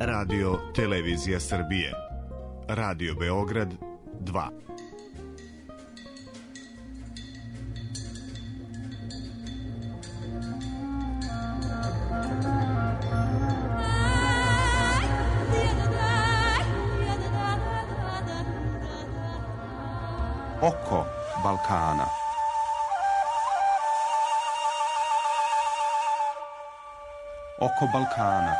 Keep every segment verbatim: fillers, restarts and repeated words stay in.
Radio Televizija Srbije. Radio Beograd dva. Oko Balkana. Oko Balkana.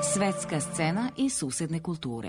Svetska scena i susedne kulture.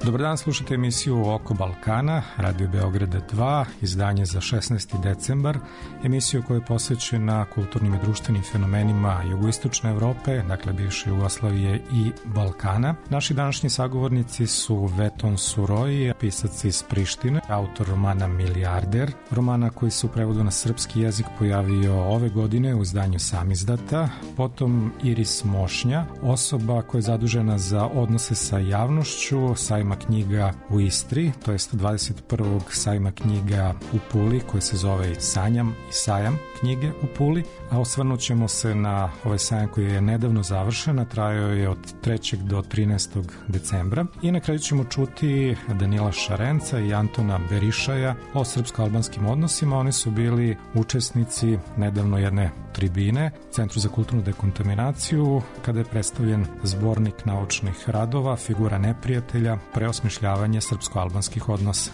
Dobar dan, slušate emisiju Oko Balkana, Radio Beograda dva, izdanje za šesnaesti decembar, emisiju koja je posvećena kulturnim i društvenim fenomenima jugoistočne Evrope, dakle bivše Jugoslavije i Balkana. Naši današnji sagovornici su Veton Suroi, pisac iz Prištine, autor romana Milijarder, romana koji se u prevodu na srpski jezik pojavio ove godine u izdanju Samizdata, potom Iris Mošnja, osoba koja je zadužena za odnose sa javnošću, sajma knjiga u Istri, to jest dvadeset prvog sajma knjiga u Puli koji se zove Sanjam i sajam knjige u Puli, a osvrnut ćemo se na ovaj sajam koji je nedavno završen, a trajao je od trećeg do trinaestog decembra i na kraju ćemo čuti Danila Šarenca i Antona Berišaja o srpsko-albanskim odnosima. Oni su bili učesnici nedavno jedne tribine Centru za kulturnu dekontaminaciju kada je predstavljen zbornik naučnih radova Figura neprijatelja, preosmišljavanje srpsko-albanskih odnosa.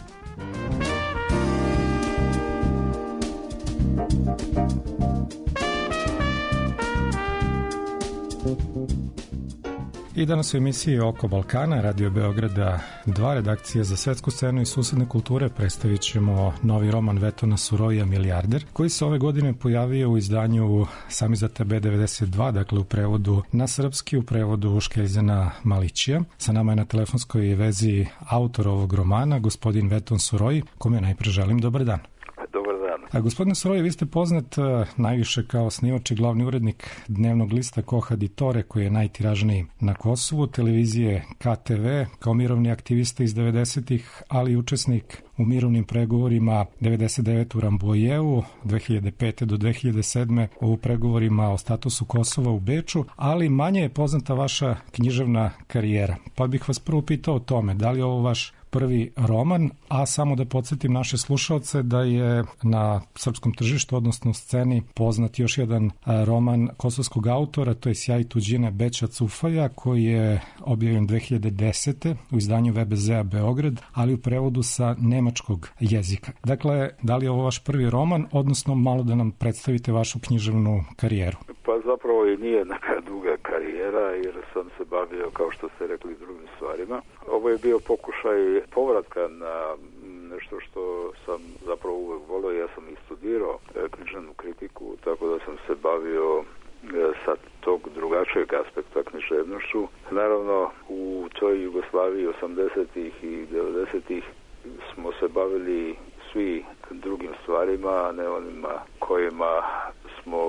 I danas u emisiji Oko Balkana, Radio Beograda dva, redakcija za svetsku scenu i susedne kulture, predstavit ćemo novi roman Vetona Suroija Milijarder, koji se ove godine pojavio u izdanju Samizdata B devedeset dva, dakle u prevodu na srpski, u prevodu Škeljzana Malićija. Sa nama je na telefonskoj vezi autor ovog romana, gospodin Veton Suroi, kome najpre želim dobar dan. A gospodine Suroi, vi ste poznat uh, najviše kao snimač i glavni urednik dnevnog lista Koha di Tore, koji je najtiražniji na Kosovu, televizije K T V, kao mirovni aktivista iz devedesetih, ali i učesnik u mirovnim pregovorima devedeset devete u Rambojevu, dve hiljade pete do dve hiljade sedme u pregovorima o statusu Kosova u Beču, ali manje je poznata vaša književna karijera. Pa bih vas prvo pitao o tome, da li je ovo vaš prvi roman, a samo da podsjetim naše slušalce da je na srpskom tržištu, odnosno sceni, poznat još jedan roman kosovskog autora, to je Sjaj tuđine Beća Cufaja, koji je objavljen dve hiljade desete u izdanju V B Z-a Beograd, ali u prevodu sa nemačkog jezika. Dakle, da li je ovo vaš prvi roman, odnosno malo da nam predstavite vašu književnu karijeru? Pa zapravo i nije neka duga karijera, jer sam se bavio, kao što ste rekli, drugim stvarima. Ovo je bio pokušaj povratka na nešto što sam zapravo uvek volio. Ja sam i studirao književnu kritiku, tako da sam se bavio sa tog drugačijeg aspekta književnošću. Naravno, u toj Jugoslaviji osamdesetih i devedesetih smo se bavili svi drugim stvarima, a ne onima kojima smo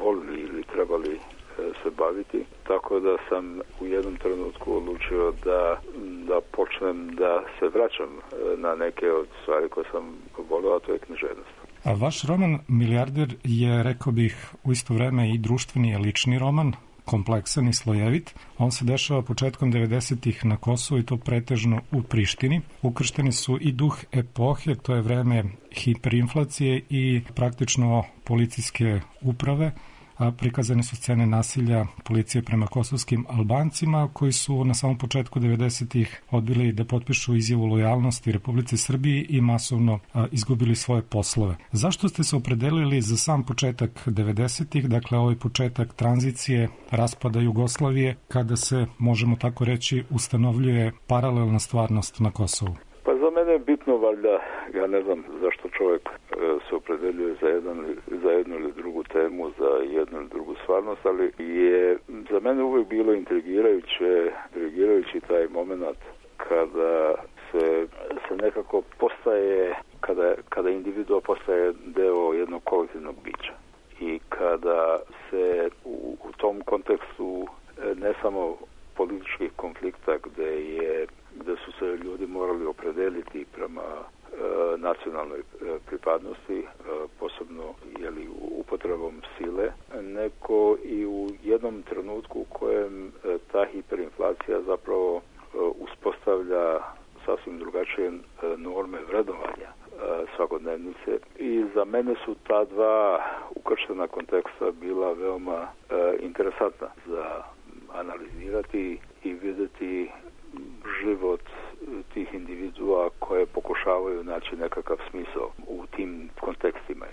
volili ili trebali se baviti, tako da sam u jednom trenutku odlučio da, da počnem da se vraćam na neke od stvari koje sam volio, a to je književnost. A vaš roman Milijarder je, rekao bih, u isto vreme i društveni i lični roman, kompleksan i slojevit. On se dešava početkom devedesetih na Kosovu i to pretežno u Prištini. Ukršteni su i duh epohe, to je vreme hiperinflacije i praktično policijske uprave, a prikazane su scene nasilja policije prema kosovskim Albancima koji su na samom početku devedesetih odbili da potpišu izjavu lojalnosti Republici Srbiji i masovno a, izgubili svoje poslove. Zašto ste se opredelili za sam početak devedesetih, dakle ovaj početak tranzicije, raspada Jugoslavije, kada se, možemo tako reći, ustanovljuje paralelna stvarnost na Kosovu? Pa za mene je bitno, valjda, ja ne znam zašto čovjek e, se opredeljuje za, jedan, za jednu ili drugu temu, za jednu ili drugu stvarnost, ali je za mene uvijek bilo intrigirajuće, intrigirajući taj moment kada se, se nekako postaje, kada, kada individua postaje deo jednog kolektivnog bića. I kada se u, u tom kontekstu ne samo političkih konflikta gde, je, gde su se ljudi morali opredeliti prema e, nacionalnoj e, pripadnosti, e, posebno jeli, upotrebom sile, neko i u jednom trenutku u kojem e, ta hiperinflacija zapravo e, uspostavlja sasvim drugačije e, norme vrednovanja e, svakodnevnice. I za mene su ta dva ukrštena konteksta bila veoma e, interesantna za analizirati i vidjeti život tih individua koje pokušavaju naći nekakav smisao u tim kontekstima.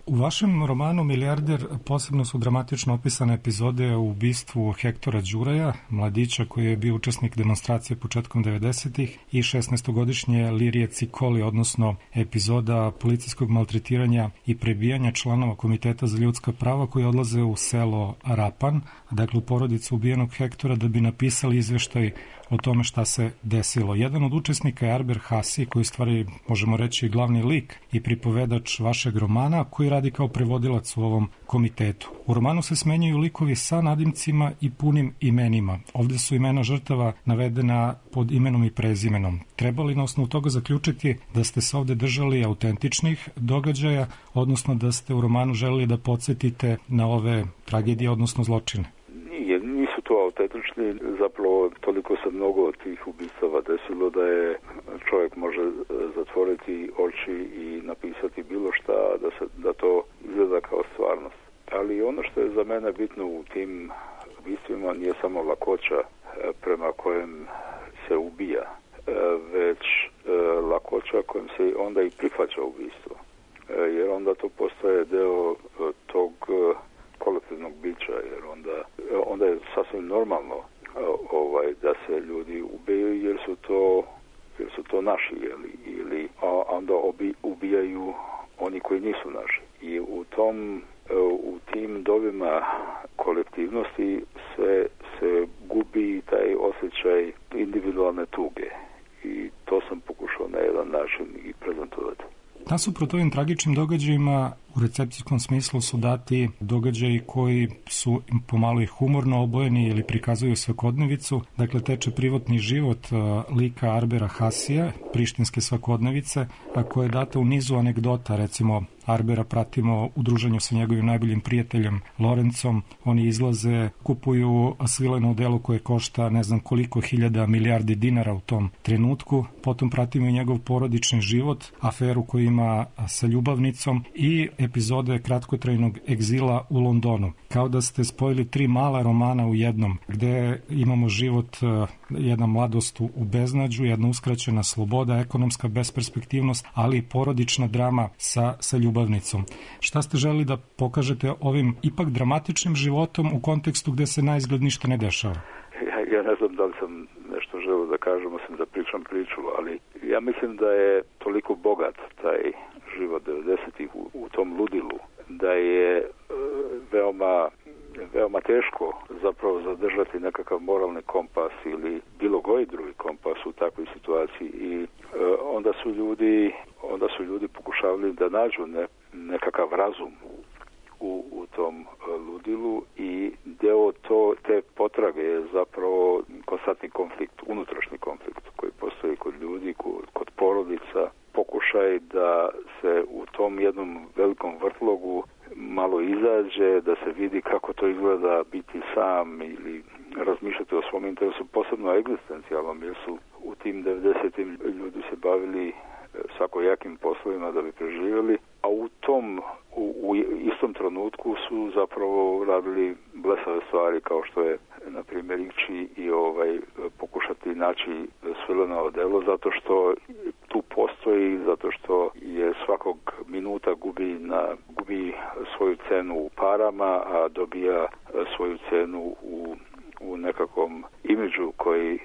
U vašem romanu Milijarder posebno su dramatično opisane epizode o ubistvu Hektora Đuraja, mladića koji je bio učesnik demonstracije početkom devedesetih i šesnaestogodišnje Lirije Cikoli, odnosno epizoda policijskog maltretiranja i prebijanja članova Komiteta za ljudska prava koji odlaze u selo Rapan, dakle u porodicu ubijenog Hektora, da bi napisali izveštaj o tome šta se desilo. Jedan od učesnika je Arber Hasi, koji stvari, možemo reći, glavni lik i pripovedač vašeg romana, koji radi kao prevodilac u ovom komitetu. U romanu se smenjaju likovi sa nadimcima i punim imenima. Ovde su imena žrtava navedena pod imenom i prezimenom. Treba li na osnovu toga zaključiti da ste se ovde držali autentičnih događaja, odnosno da ste u romanu želeli da podsjetite na ove tragedije, odnosno zločine? Nije, nisu to autentični, zapravo toliko se mnogo tih ubistava desilo da je čovjek može zatvoriti oči i napisati bilo šta, da, se, da to izgleda kao stvarnost. Ali ono što je za mene bitno u tim ubistvima nije samo lakoća prema kojem se ubija, već lakoća kojom se onda i prihvaća ubistvo. Jer onda to postaje deo tog kolektivnog bića, jer onda, onda je sasvim normalno ovaj, da se ljudi ubijaju jer su to, jer su to naši, jeli, ili a onda obi, ubijaju oni koji nisu naši. I u tom, u tim dovima kolektivnosti se, se gubi taj osjećaj individualne tuge. I to sam pokušao na jedan način i prezentovati. Nasuprot ovim tragičnim događajima u recepcijskom smislu su dati događaji koji su pomalo i humorno obojeni ili prikazuju svakodnevicu. Dakle, teče privatni život lika Arbera Hasija, prištinske svakodnevice, a koja je data u nizu anegdota. Recimo, Arbera pratimo u druženju sa njegovim najboljim prijateljem Lorencom. Oni izlaze, kupuju svileno delo koje košta ne znam koliko hiljada milijardi dinara u tom trenutku. Potom pratimo i njegov porodični život, aferu koju ima sa ljubavnicom i epizode kratkotrajnog egzila u Londonu. Kao da ste spojili tri mala romana u jednom, gde imamo život, jedna mladost u beznađu, jedna uskraćena sloboda, ekonomska besperspektivnost, ali i porodična drama sa, sa ljubavnicom. Šta ste želi da pokažete ovim ipak dramatičnim životom u kontekstu gde se naizgled ništa ne dešava? Ja, ja ne znam da li sam nešto želeo da kažem, osim da pričam priču, ali ja mislim da je toliko bogat taj život devedesetih u, u tom ludilu, da je e, veoma, veoma teško zapravo zadržati nekakav moralni kompas ili bilo koji drugi kompas u takvoj situaciji i e, onda su ljudi onda su ljudi pokušavali da nađu ne, nekakav razum u, u tom ludilu i deo to, te potrage je zapravo konstantni konflikt, unutrašnji konflikt koji postoji kod ljudi, kod, kod porodica, pokušaj da se u tom jednom velikom vrtlogu malo izađe, da se vidi kako to izgleda biti sam ili razmišljati o svom interesu, posebno egzistencijalnom, jer su u tim devedesetim ljudi se bavili svakojakim poslovima da bi preživjeli, a u tom u, u istom trenutku su zapravo radili blesave stvari kao što je na primjer ići i ovaj pokušati naći svileno odelo zato što tu postoji, zato što je svakog minuta gubi na gubi svoju cenu u parama, a dobija svoju cenu u u nekakvom imidžu koji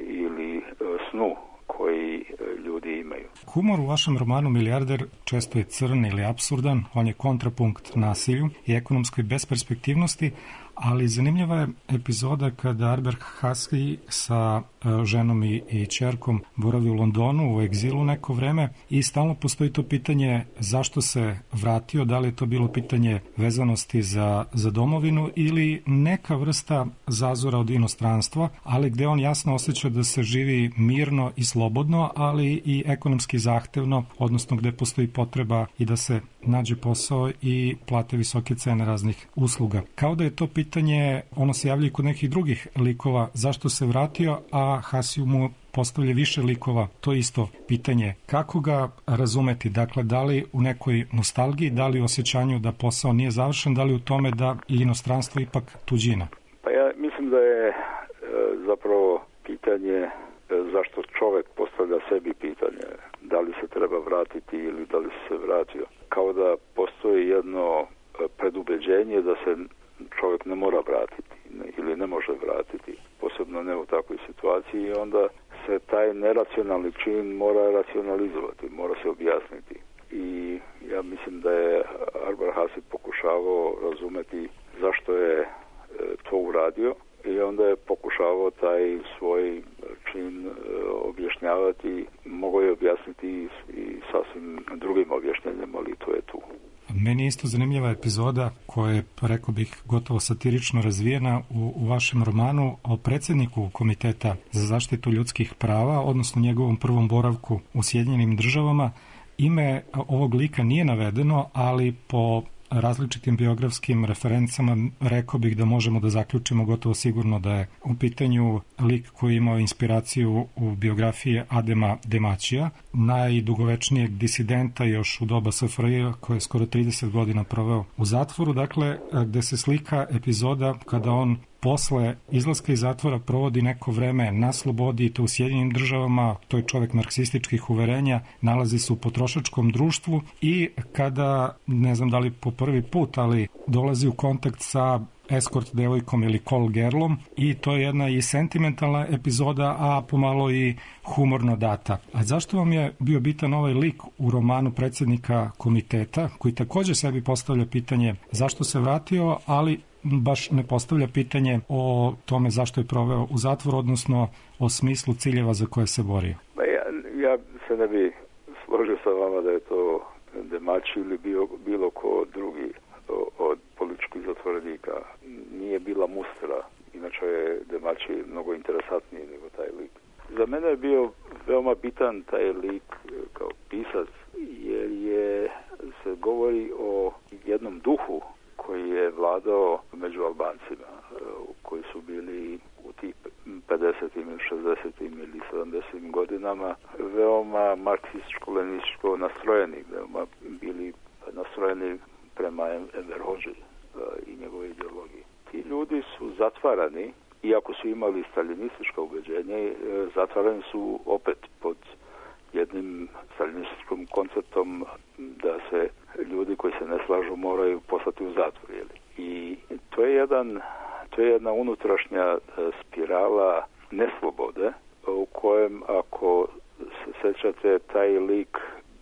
ili snu koji ljudi imaju. Humor u vašem romanu Milijarder često je crn ili apsurdan, on je kontrapunkt nasilju i ekonomskoj besperspektivnosti, ali zanimljiva je epizoda kada Arber Hasi sa ženom i, i ćerkom boravi u Londonu u egzilu neko vreme i stalno postoji to pitanje zašto se vratio, da li je to bilo pitanje vezanosti za, za domovinu ili neka vrsta zazora od inostranstva, ali gde on jasno osjeća da se živi mirno i slobodno, ali i ekonomski zahtevno, odnosno gde postoji potreba i da se nađe posao i plate visoke cene raznih usluga. Kao da je to pitanje, ono se javlja i kod nekih drugih likova, zašto se vratio, a Hasiju mu postavlja više likova, to isto pitanje. Kako ga razumeti? Dakle, da li u nekoj nostalgiji, da li u osjećanju da posao nije završen, da li u tome da je inostranstvo ipak tuđina? Pa ja mislim da je e, zapravo pitanje e, zašto čovjek postavlja sebi pitanje da li se treba vratiti ili da li se vratio. Kao da postoji jedno predubeđenje da se čovjek ne mora vratiti ili ne može vratiti, posebno ne u takvoj situaciji, i onda se taj neracionalni čin mora racionalizovati, mora se objasniti. I ja mislim da je Arber Hasi pokušavao razumeti zašto je to uradio i onda je pokušavao taj svoj čin objašnjavati, mogao je objasniti i sasvim drugim objašnjenjem, ali to je tu. Meni je isto zanimljiva epizoda koja je, rekao bih, gotovo satirično razvijena u, u vašem romanu o predsjedniku Komiteta za zaštitu ljudskih prava, odnosno njegovom prvom boravku u Sjedinjenim državama. Ime ovog lika nije navedeno, ali po različitim biografskim referencama rekao bih da možemo da zaključimo gotovo sigurno da je u pitanju lik koji je imao inspiraciju u biografiji Adema Demaćija, najdugovečnijeg disidenta još u doba S F R J koji je skoro trideset godina proveo u zatvoru, dakle gde se slika epizoda kada on posle izlaska iz zatvora provodi neko vreme na slobodi i to u Sjedinjenim državama, to je čovek marksističkih uverenja, nalazi se u potrošačkom društvu i kada, ne znam da li po prvi put, ali dolazi u kontakt sa eskort devojkom ili call girlom i to je jedna i sentimentalna epizoda, a pomalo i humorno data. A zašto vam je bio bitan ovaj lik u romanu predsjednika Komiteta, koji također sebi postavlja pitanje zašto se vratio, ali baš ne postavlja pitanje o tome zašto je proveo u zatvoru, odnosno o smislu ciljeva za koje se borio? Ja, ja se ne bi složio sa vama da je to Demaći ili bio, bilo ko drugi od političkih zatvorenika. Nije bila Mustra, inače je Demaći mnogo interesantniji nego taj lik. Za mene je bio veoma bitan taj lik kao pisac, jer je se govori o jednom duhu koji je vladao među Albancima, koji su bili u tih pedesetim, šezdesetim ili sedamdesetim godinama veoma marksističko-lenističko nastrojeni, veoma bili nastrojeni prema Enver Hodži i njegove ideologije. Ti ljudi su zatvarani, iako su imali staljinističko ubeđenje, zatvarani su opet pod jednim staljinističkim konceptom da se ljudi koji se ne slažu moraju poslati u zatvor. I to je jedan, to je jedna unutrašnja spirala neslobode u kojem, ako se sećate, taj lik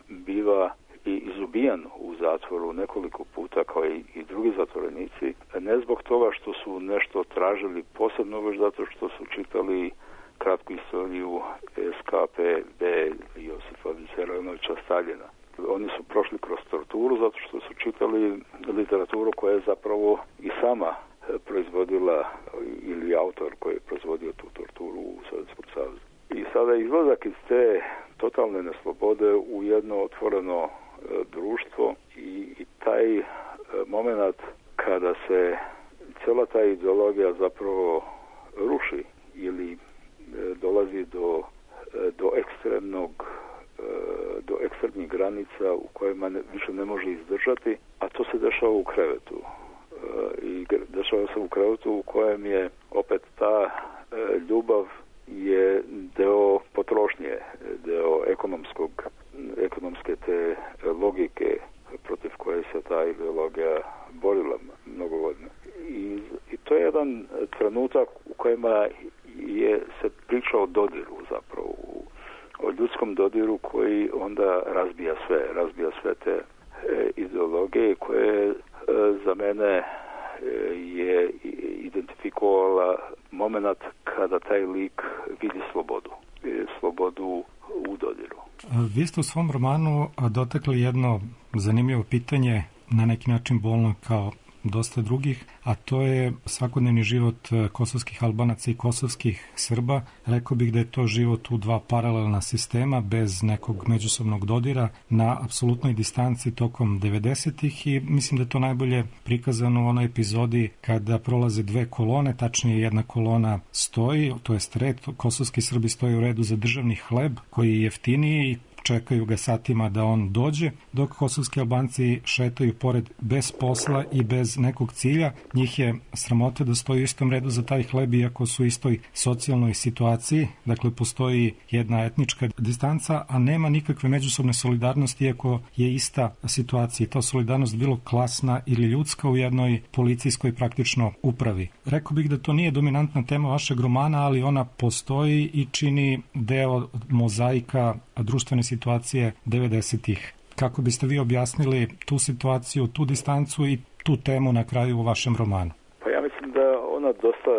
biva i izubijan u zatvoru nekoliko puta kao i, i drugi zatvorenici, ne zbog toga što su nešto tražili posebno, već zato što su čitali kratku istoriju S K P B Josipa Visarionovića Staljina. Oni su prošli kroz torturu zato što su čitali literaturu koja je zapravo i sama proizvodila, ili autor koji je proizvodio tu torturu u Sovjetskom savezu. I sada izlazak iz te totalne neslobode u jedno otvoreno društvo i, i taj moment kada se cijela ta ideologija zapravo ruši ili dolazi do, do ekstremnog do ekstremnih granica u kojima ne, više ne može izdržati, a to se dešava u krevetu. I dešava se u krevetu u kojem je opet ta ljubav je deo potrošnje, deo ekonomskog, ekonomske te logike protiv koje se ta ideologija borila mnogo godina. I, I to je jedan trenutak u kojima je se priča o dodiru zapravo, o ljudskom dodiru koji onda razbija sve, razbija sve te e, ideologije koje e, za mene e, je tu u dodiru. Vi ste u svom romanu dotakli jedno zanimljivo pitanje, na neki način bolno kao dosta drugih, a to je svakodnevni život kosovskih Albanaca i kosovskih Srba. Rekao bih da je to život u dva paralelna sistema, bez nekog međusobnog dodira, na apsolutnoj distanci tokom devedesetih i mislim da je to najbolje prikazano u onoj epizodi kada prolaze dve kolone, tačnije jedna kolona stoji, to jest red, kosovski Srbi stoje u redu za državni hleb koji je jeftiniji i čekaju ga satima da on dođe, dok kosovski Albanci šetaju pored bez posla i bez nekog cilja. Njih je sramota da stoji u istom redu za taj hleb, iako su u istoj socijalnoj situaciji. Dakle, postoji jedna etnička distanca, a nema nikakve međusobne solidarnosti, iako je ista situacija. Ta solidarnost bilo klasna ili ljudska u jednoj policijskoj praktično upravi. Rekao bih da to nije dominantna tema vašeg romana, ali ona postoji i čini deo mozaika društvene situacije devedesetih. Kako biste vi objasnili tu situaciju, tu distancu i tu temu na kraju u vašem romanu? Pa ja mislim da ona dosta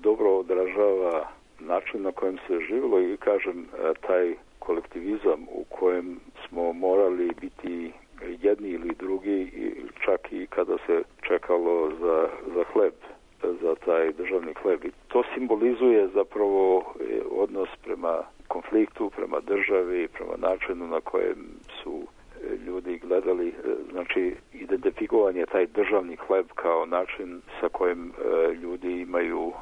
dobro odražava način na kojem se živjelo i kažem taj kolektivizam u kojem smo morali biti jedni ili drugi, čak i kada se čekalo za, za hleb, za taj državni hleb. I to simbolizuje zapravo odnos prema konfliktu, prema državi, prema načinu na kojem su ljudi gledali, znači identifikovanje taj državni hleb kao način sa kojim ljudi imaju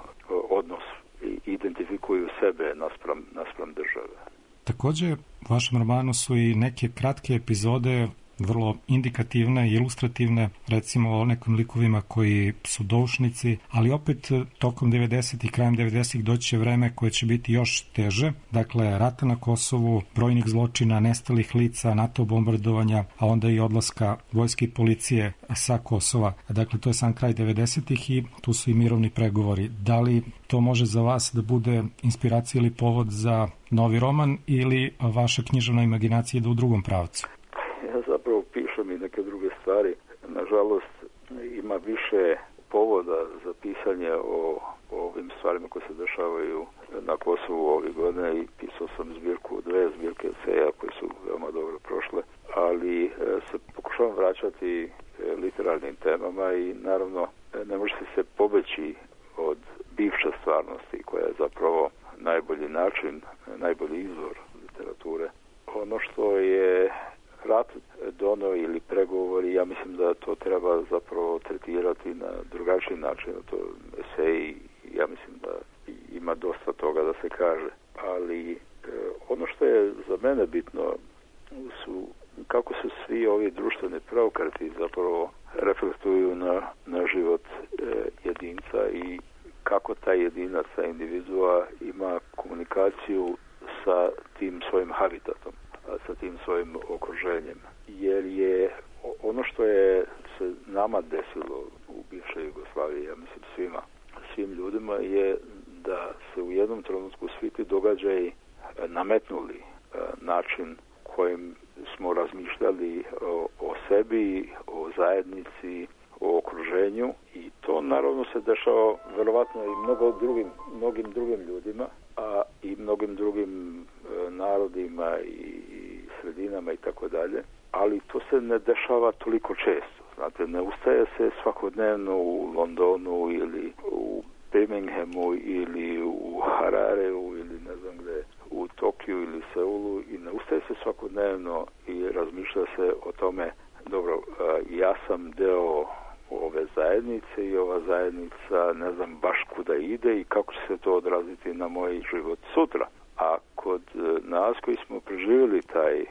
odnos i identifikuju sebe naspram, naspram države. Također, u vašem romanu su i neke kratke epizode vrlo indikativne i ilustrativne, recimo o nekim likovima koji su doušnici, ali opet tokom devedesetih, krajem devedesetih doći će vreme koje će biti još teže. Dakle, rata na Kosovu, brojnih zločina, nestalih lica, NATO bombardovanja, a onda i odlaska vojske i policije sa Kosova. Dakle, to je sam kraj devedesetih i tu su i mirovni pregovori. Da li to može za vas da bude inspiracija ili povod za novi roman ili vaša književna imaginacija ide u drugom pravcu? Ja zapravo pišem i neke druge stvari. Nažalost, ima više povoda za pisanje o, o ovim stvarima koje se dešavaju na Kosovu ove godine i pisao sam zbirku, dve zbirke eseja koje su veoma dobro prošle, ali se pokušavam vraćati literarnim temama i naravno ne može se pobeći od bivše stvarnosti koja je zapravo najbolji način, najbolji izvor literature. Ono što je rat dono ili pregovori, ja mislim da to treba zapravo tretirati na drugačiji način. To eseji, ja mislim da ima dosta toga da se kaže. Ali e, ono što je za mene bitno su kako se svi ovi društveni preokreti zapravo reflektuju na, na život e, jedinca i kako taj jedinac, ta individua ima komunikaciju sa tim svojim habitatom, sa tim svojim okruženjem. Jer je ono što je se nama desilo u bivšoj Jugoslaviji, ja mislim svima, svim ljudima, je da se u jednom trenutku svi ti događaji nametnuli način kojim smo razmišljali o, o sebi, o zajednici, o okruženju i to naravno se dešava verovatno i mnogo drugim, mnogim drugim ljudima, a i mnogim drugim e, narodima i sredinama i tako dalje, ali to se ne dešava toliko često. Znate, ne ustaje se svakodnevno u Londonu ili u Birminghamu ili u Harareu ili ne znam gde, u Tokiju ili Seulu i ne ustaje se svakodnevno i razmišlja se o tome, dobro, e, ja sam deo ove zajednice i ova zajednica ne znam baš kuda ide i kako će se to odraziti na moj život sutra. A kod nas koji smo preživjeli taj,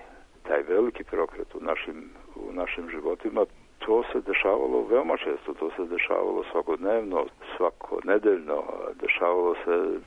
taj veliki preokret u našim, u našim životima, to se dešavalo veoma često, to se dešavalo svakodnevno, svakonedeljno, dešavalo se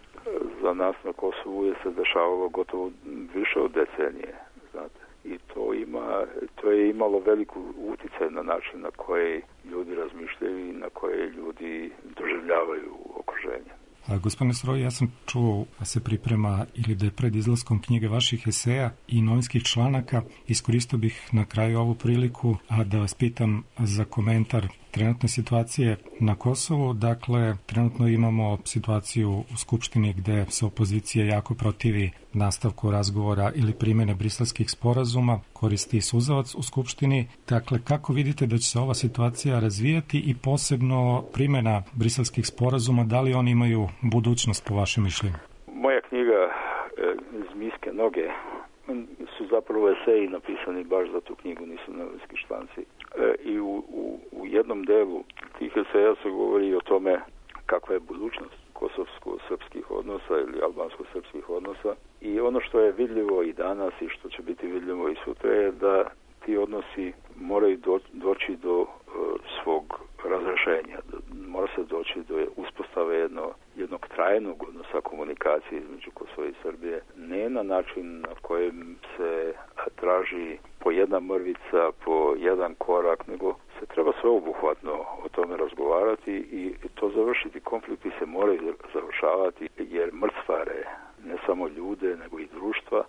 za nas na Kosovu je se dešavalo gotovo više od decenije, znate. I to ima, to je imalo veliku uticaj na način na koje ljudi razmišljaju i na koje ljudi doživljavaju okruženje. A, gospodine Suroi, ja sam čuo da se priprema ili da je pred izlaskom knjige vaših eseja i novinskih članaka. Iskoristio bih na kraju ovu priliku a da vas pitam za komentar trenutne situacije na Kosovu. Dakle, trenutno imamo situaciju u Skupštini gde se opozicija jako protivi nastavku razgovora ili primjene briselskih sporazuma, koristi suzavac u Skupštini. Dakle, kako vidite da će se ova situacija razvijati i posebno primjena briselskih sporazuma, da li oni imaju budućnost po vašem mišljenju? Moja knjiga iz miske noge su zapravo eseji napisani baš za tu knjigu, nisu novinski štanci. E, I u, u, u jednom delu tih eseja se govori o tome kakva je budućnost kosovsko-srpskih odnosa ili albansko-srpskih odnosa. I ono što je vidljivo i danas i što će biti vidljivo i sutra je da ti odnosi moraju do, doći do uh, svog razrešenja. Mora se doći do uspostave jedno, jednog trajnog odnosa komunikacije između Kosova i Srbije. Ne na način na kojem se traži po jedna mrvica, po jedan korak, nego se treba sveobuhvatno o tome razgovarati i to završiti. Konflikti se moraju završavati jer mrcvare ne samo ljude, nego i društva,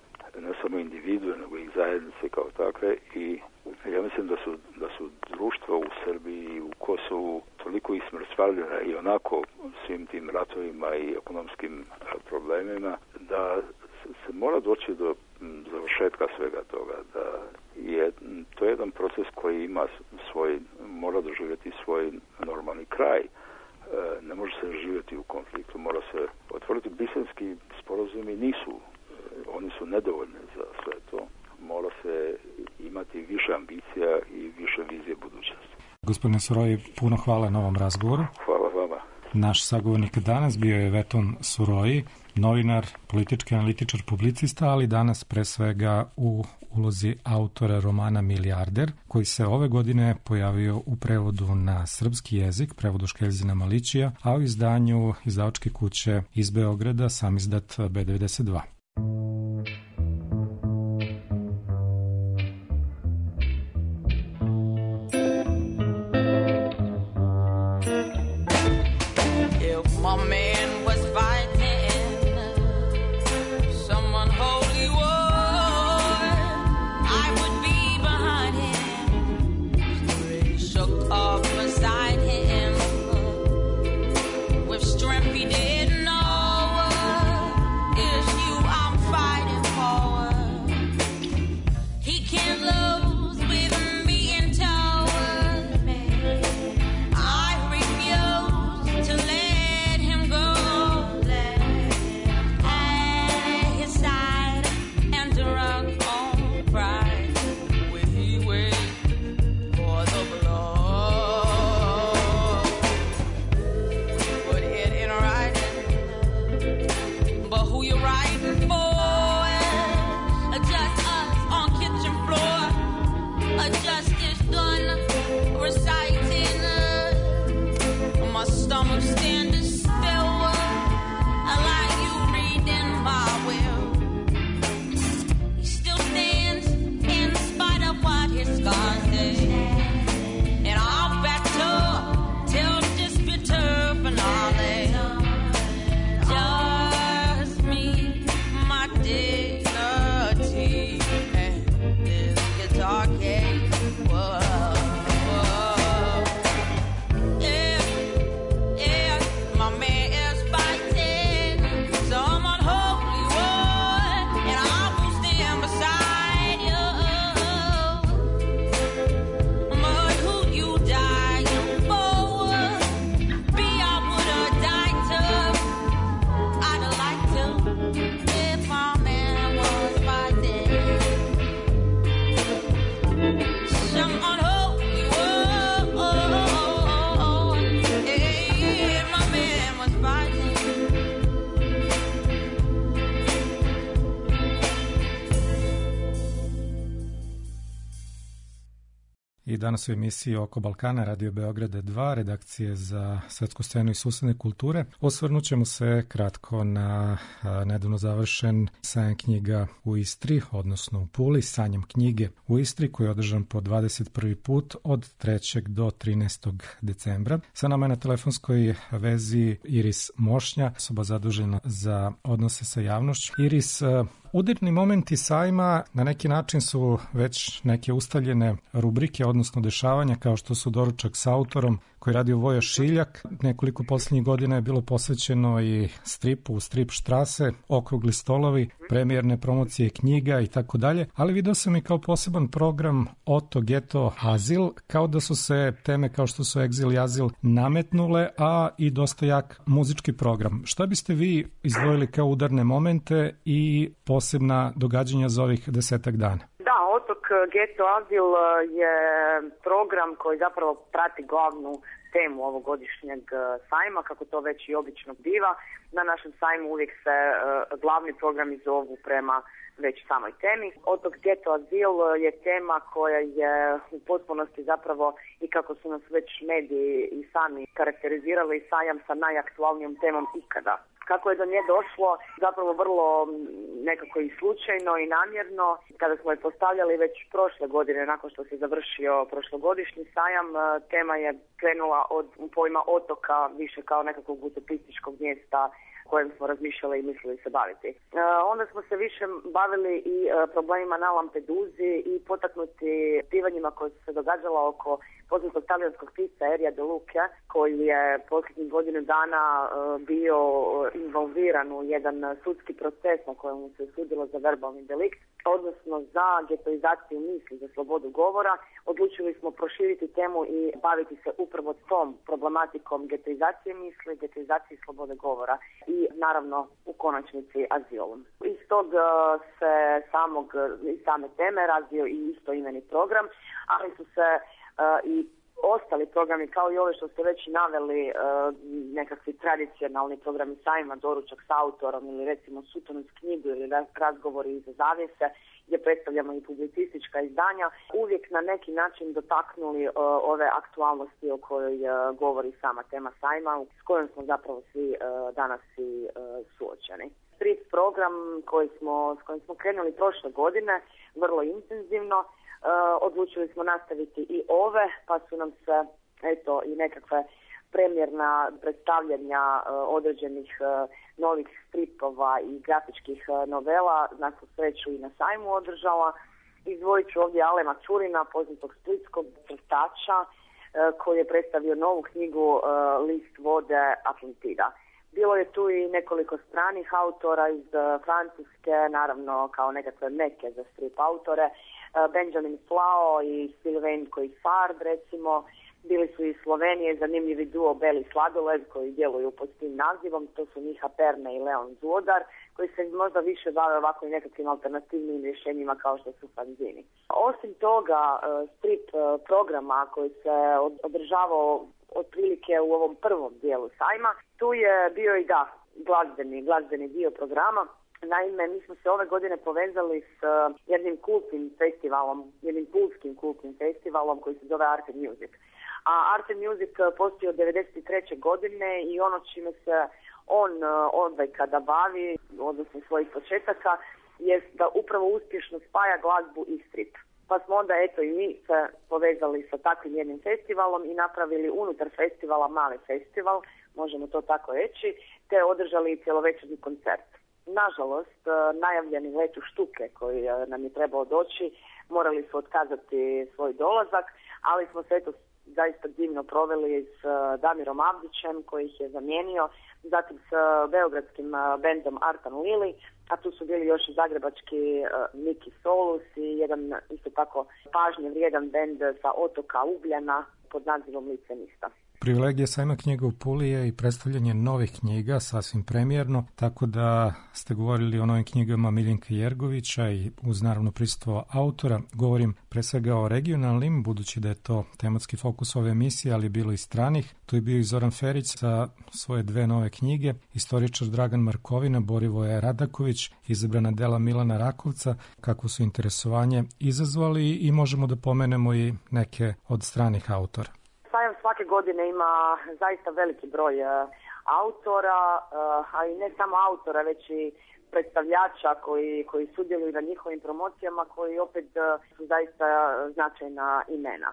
ne samo individue, nego i zajednice kao takve. I ja mislim da su, da su društva u Srbiji i u Kosovu toliko ismrcvaljena i onako svim tim ratovima i ekonomskim problemima da se mora doći do završetka svega toga, da je to je jedan proces koji ima svoj, mora doživjeti svoj normalni kraj. Ne može se živjeti u konfliktu, mora se otvoriti. Briselski sporazumi nisu, oni su nedovoljni za sve to. Mora se imati više ambicija i više vizije budućnosti. Gospodine Suroji, puno hvala na ovom razgovoru. Hvala vama. Naš sagovornik danas bio je Veton Suroji, novinar, politički analitičar, publicista, ali danas pre svega u ulozi autora romana Milijarder, koji se ove godine pojavio u prevodu na srpski jezik, prevodu Škeljzina Malićija, a u izdanju izdavačke kuće iz Beograda, samizdat be devedeset dva. I danas u emisiji Oko Balkana, Radio Beograda dva, redakcije za svetsku scenu i susedne kulture. Osvrnut ćemo se kratko na a, nedavno završen sajam knjiga u Istri, odnosno u Puli, Sanjam knjige u Istri, koji je održan po dvadeset prvi put od trećeg do trinaestog decembra. Sa nama je na telefonskoj vezi Iris Mošnja, osoba zadužena za odnose sa javnošću. Iris, Udarni momenti sajma na neki način su već neke ustaljene rubrike, odnosno dešavanja kao što su doručak s autorom koji je radio Voja Šiljak. Nekoliko posljednjih godina je bilo posvećeno i stripu, strip štrase, okrugli stolovi, premijerne promocije knjiga i tako dalje, ali video sam i kao poseban program Oto, Geto, Azil, kao da su se teme kao što su egzil i azil nametnule, a i dosta jak muzički program. Šta biste vi izdvojili kao udarne momente i posebna događanja za ovih desetak dana? Da, Otok, Geto, Azil je program koji zapravo prati glavnu temu ovogodišnjeg sajma, kako to već i obično biva. Na našem sajmu uvijek se uh, glavni programi zovu prema već samoj temi. Otok, Geto, Azil je tema koja je u potpunosti zapravo, i kako su nas već mediji i sami karakterizirali, sajam sa najaktualnijom temom ikada. Kako je do nje došlo, zapravo vrlo nekako i slučajno i namjerno. Kada smo je postavljali već prošle godine, nakon što se završio prošlogodišnji sajam, tema je krenula od pojma otoka više kao nekakvog utopističkog mjesta kojem smo razmišljali i mislili se baviti. E, onda smo se više bavili i e, problemima na Lampeduzi i potaknuti pivanjima koje su se događala oko poznatog talijanskog pisca Erija De Luca, koji je posljednjih godinu dana e, bio involviran u jedan sudski proces na kojemu se sudilo za verbalni delikt, odnosno za getoizaciju misli, za slobodu govora. Odlučili smo proširiti temu i baviti se upravo tom problematikom getoizacije misli, getoizacije slobode govora i naravno u konačnici azilom. Iz tog se samog, iz same teme razvio i istoimeni program, ali su se uh, i ostali programi, kao i ove što ste već naveli, uh, nekakvi tradicionalni programi sajma, doručak s autorom ili recimo Sutonus knjigu ili razgovori iza zavjese, gdje predstavljamo i publicistička izdanja, uvijek na neki način dotaknuli uh, ove aktualnosti o kojoj uh, govori sama tema sajma, s kojom smo zapravo svi uh, danas i uh, suočeni. Strip program koji smo, s kojim smo krenuli prošle godine, vrlo intenzivno, Uh, odlučili smo nastaviti i ove, pa su nam se eto i nekakve premijerna predstavljanja uh, određenih uh, novih stripova i grafičkih uh, novela na svu sreću i na sajmu održala. Izdvojit ću ovdje Alema Čurina, poznatog splitskog crtača, uh, koji je predstavio novu knjigu uh, List vode Atlantida. Bilo je tu i nekoliko stranih autora iz uh, Francuske, naravno kao nekakve meke za strip autore, Benjamin Flao i Sylvain Coifard, recimo. Bili su iz Slovenije zanimljivi duo Beli Sladoled koji djeluju pod tim nazivom, to su Miha Perne i Leon Zvodar, koji se možda više bave ovako i nekakvim alternativnim rješenjima kao što su fanzini. Osim toga, strip programa koji se održavao otprilike u ovom prvom dijelu sajma, tu je bio i da glazbeni, glazbeni dio programa. Naime, mi smo se ove godine povezali s uh, jednim kultnim festivalom, jednim pulskim kultnim festivalom koji se zove Art and Music. A Art and Music postoji od devedeset treće godine i ono čime se on uh, odvajka bavi, odnosno svojih početaka, jest da upravo uspješno spaja glazbu i strip. Pa smo onda eto i mi se povezali sa takvim jednim festivalom i napravili unutar festivala mali festival, možemo to tako reći, te održali cjelovečernji koncert. Nažalost, najavljeni let u Štuke koji nam je trebao doći, morali su otkazati svoj dolazak, ali smo se eto zaista divno proveli s Damirom Avdićem koji ih je zamijenio, zatim s beogradskim bendom Artan Lili, a tu su bili još i zagrebački Miki Solus i jedan isto tako pažnje vrijedan bend sa otoka Ugljana pod nazivom Licenista. Privilegija sajma knjiga u Puli je i predstavljanje novih knjiga, sasvim premijerno, tako da ste govorili o novim knjigama Miljenka Jergovića i uz naravno prisustvo autora. Govorim pre svega o regionalnim, budući da je to tematski fokus ove emisije, ali bilo i stranih. Tu je bio i Zoran Ferić sa svoje dve nove knjige, istoričar Dragan Markovina, Borivoje Radaković, izabrana dela Milana Rakovca, kako su interesovanje izazvali i možemo da pomenemo i neke od stranih autora. Sajam svake godine ima zaista veliki broj uh, autora, uh, a i ne samo autora, već i predstavljača koji, koji sudjeluju na njihovim promocijama, koji opet su zaista značajna imena.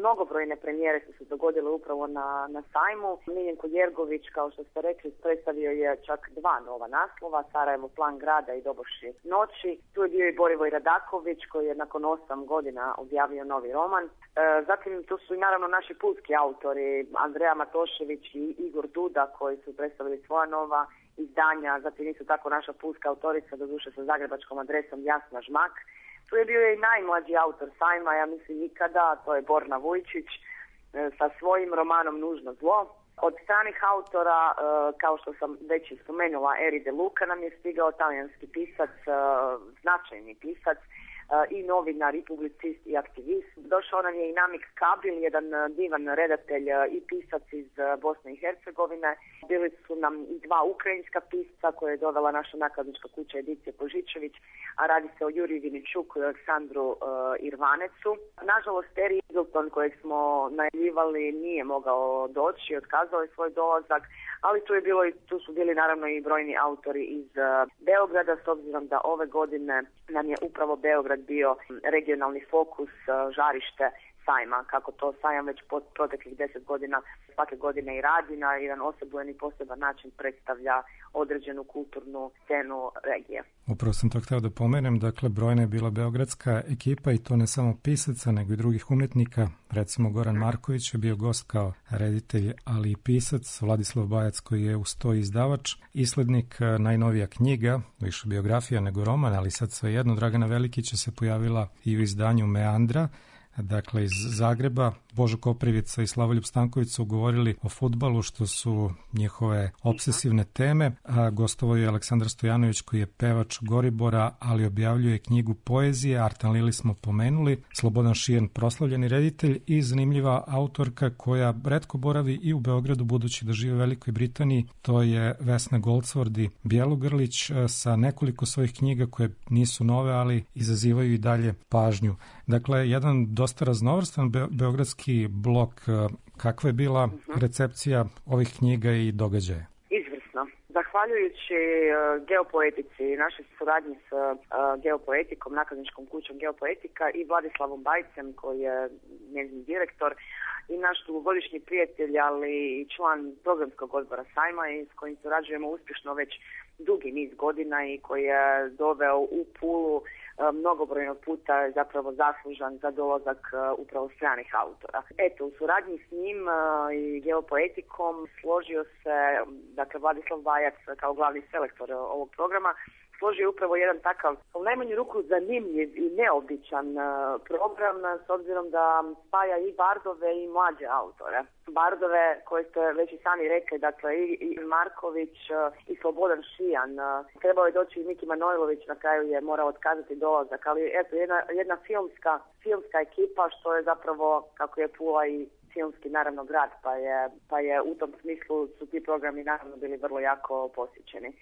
Mnogobrojne premijere su se dogodile upravo na, na sajmu. Miljenko Jergović, kao što ste rekli, predstavio je čak dva nova naslova, Sarajevo plan grada i Doboši noći. Tu je bio i Borivoj Radaković koji je nakon osam godina objavio novi roman. E, zatim tu su i naravno naši pulski autori, Andreja Matošević i Igor Duda koji su predstavili svoja nova izdanja. Zatim isto tako naša pulska autorica, doduše sa zagrebačkom adresom, Jasna Žmak. Tu je bio i najmlađi autor sajma, ja mislim ikada, to je Borna Vujčić sa svojim romanom Nužno zlo. Od stranih autora, kao što sam već spomenula, Eri De Luca nam je stigao, talijanski pisac, značajni pisac i novinar i publicist i aktivist. Došao nam je i Namik Kabil, jedan divan redatelj i pisac iz Bosne i Hercegovine. Bili su nam i dva ukrajinska pisca koje je dovela naša nakladnička kuća Edicije Požičević, a radi se o Juriju Viničuku i Aleksandru uh, Irvanecu. Nažalost, Terry Eagleton kojeg smo najavljivali nije mogao doći, otkazao je svoj dolazak, ali tu je bilo i tu su bili naravno i brojni autori iz uh, Beograda, s obzirom da ove godine nam je upravo Beograd bio regionalni fokus, uh, žarište sajma, kako to sajam već pod proteklih deset godina svake godine i radi, na jedan osobujen i poseban način predstavlja određenu kulturnu scenu regije. Upravo sam to htio da pomenem, dakle brojna je bila beogradska ekipa i to ne samo pisaca nego i drugih umjetnika, recimo Goran Marković je bio gost kao reditelj, ali i pisac, Vladislav Bajac koji je uz to izdavač, islednik, najnovija knjiga, više biografija nego roman, ali sad svejedno Dragana Velikića se pojavila i u izdanju Meandra, dakle iz Zagreba. Božo Koprivica i Slavoljub Stanković su govorili o fudbalu, što su njihove obsesivne teme. A gostovao je Aleksandar Stojanović koji je pevač Goribora, ali objavljuje knjigu poezije. Artan Lili smo pomenuli, Slobodan Šijen, proslavljeni reditelj i zanimljiva autorka koja retko boravi i u Beogradu budući da žive u Velikoj Britaniji. To je Vesna Golcvordi Bjelogrlić sa nekoliko svojih knjiga koje nisu nove, ali izazivaju i dalje pažnju. Dakle, jedan dosta raznovrstan be- beogradski blok. Kakva je bila recepcija ovih knjiga i događaja? Izvrsno. Zahvaljujući uh, Geopoetici, našoj suradnji s uh, Geopoetikom, nakladničkom kućom Geopoetika i Vladislavom Bajcem koji je njezin direktor i naš dugogodišnji prijatelj, ali i član programskog odbora sajma i s kojim surađujemo uspješno već dugi niz godina i koji je doveo u Pulu mnogobrojnog puta zapravo zaslužan za dolazak uh, upravo stranih autora. Eto, u suradnji s njim uh, i Geopoetikom složio se, dakle, Vladislav Bajac kao glavni selektor ovog programa, složio upravo jedan takav, u najmanju ruku zanimljiv i neobičan uh, program, s obzirom da spaja i bardove i mlađe autore. Bardove koje ste već i sami rekli, dakle i, i Marković uh, i Slobodan Šijan. Uh, trebao je doći i Miki Manojlović, na kraju je morao otkazati dolazak, ali eto, jedna, jedna filmska, filmska ekipa, što je zapravo, kako je Pula i filmski naravno grad, pa je, pa je u tom smislu su ti programi naravno bili vrlo jako posjećeni.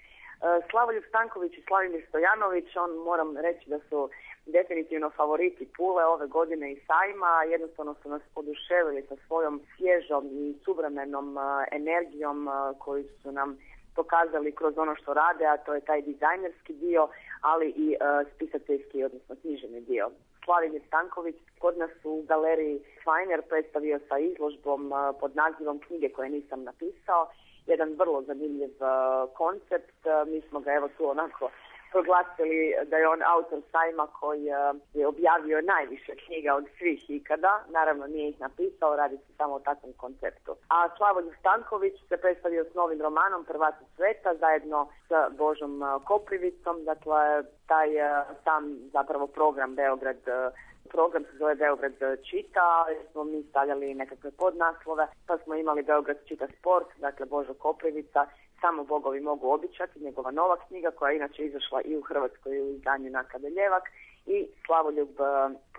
Slavoljub Stanković i Slavimir Stojanović, on moram reći da su definitivno favoriti Pule ove godine i sajma, jednostavno su nas oduševili sa svojom svježom i suvremenom energijom koju su nam pokazali kroz ono što rade, a to je taj dizajnerski dio, ali i spisateljski, odnosno književni dio. Slavimir Stanković kod nas u galeriji Feiner predstavio sa izložbom pod nazivom Knjige koje nisam napisao, jedan vrlo zanimljiv uh, koncept. Uh, mi smo ga evo tu onako proglasili da je on autor sajma koji uh, je objavio najviše knjiga od svih ikada. Naravno nije ih napisao, radi se samo o takvom konceptu. A Slavoljub Stanković se predstavio s novim romanom Prvaci sveta zajedno s Božom uh, Koprivicom. Dakle, taj uh, sam zapravo program Beograd uh, Program se zove Beograd čita, smo mi stavljali nekakve podnaslove, pa smo imali Beograd čita sport, dakle Božo Koprivica, Samo bogovi mogu običati, njegova nova knjiga koja je inače izašla i u Hrvatskoj i u izdanju Naklade Ljevak, i Slavoljub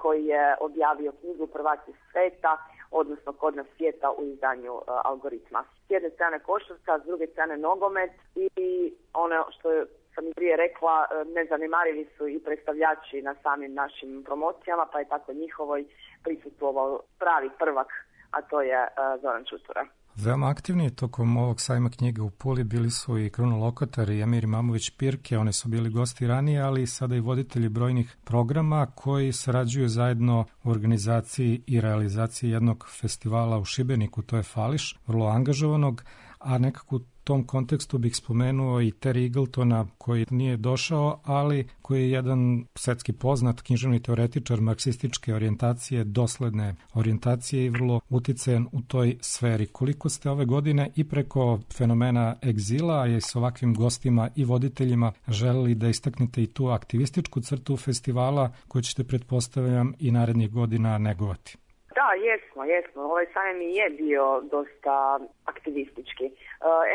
koji je objavio knjigu Prvaci sveta, odnosno Kod nas svijeta u izdanju uh, Algoritma. S jedne strane košarka, s druge strane nogomet i ono što je sam i prije rekla, nezanemarivi su i predstavljači na samim našim promocijama, pa je tako njihovoj prisustvovao pravi prvak, a to je uh, Zoran Čutura. Veoma aktivni tokom ovog sajma knjiga u Puli bili su i Kruno Lokotar i Emir Imamović Pirke, oni su bili gosti ranije, ali sada i voditelji brojnih programa koji sarađuju zajedno u organizaciji i realizaciji jednog festivala u Šibeniku, to je Fališ, vrlo angažovanog, a nekako u tom kontekstu bih spomenuo i Terry Eagletona koji nije došao, ali koji je jedan svetski poznat književni teoretičar marksističke orijentacije, dosledne orijentacije i vrlo uticajan u toj sferi. Koliko ste ove godine i preko fenomena egzila i s ovakvim gostima i voditeljima želeli da istaknete i tu aktivističku crtu festivala koju ćete, pretpostavljam, i narednih godina negovati? Da, jesmo, jesmo. Ovaj sajam i je bio dosta aktivistički.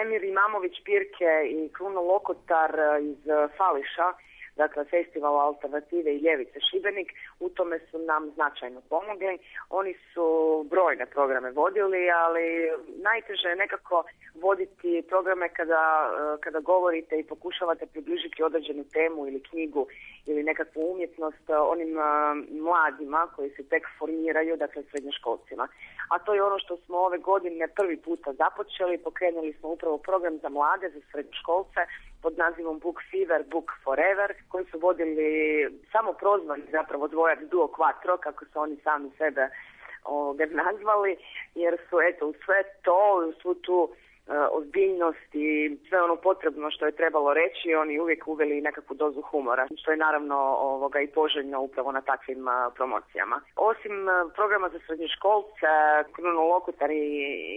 Emir Imamović Pirke i Kruno Lokotar iz Fališa, dakle Festivala Alternative i Ljevice Šibenik, u tome su nam značajno pomogli. Oni su brojne programe vodili, ali najteže je nekako voditi programe kada, kada govorite i pokušavate približiti određenu temu ili knjigu ili nekakvu umjetnost onim mladima koji se tek formiraju, dakle srednjoškolcima. A to je ono što smo ove godine prvi puta započeli. Pokrenuli smo upravo program za mlade, za srednjoškolce pod nazivom Book Fever, Book Forever, koji su vodili samo prozvani zapravo dvojac Duo Quattro, kako su oni sami sebe ovdje nazvali, jer su eto u sve to, u svu tu ozbiljnost i sve ono potrebno što je trebalo reći, oni uvijek uveli nekakvu dozu humora, što je naravno ovoga i poželjno upravo na takvim a, promocijama. Osim a, programa za srednjoškolce, Kruno Lokotar i,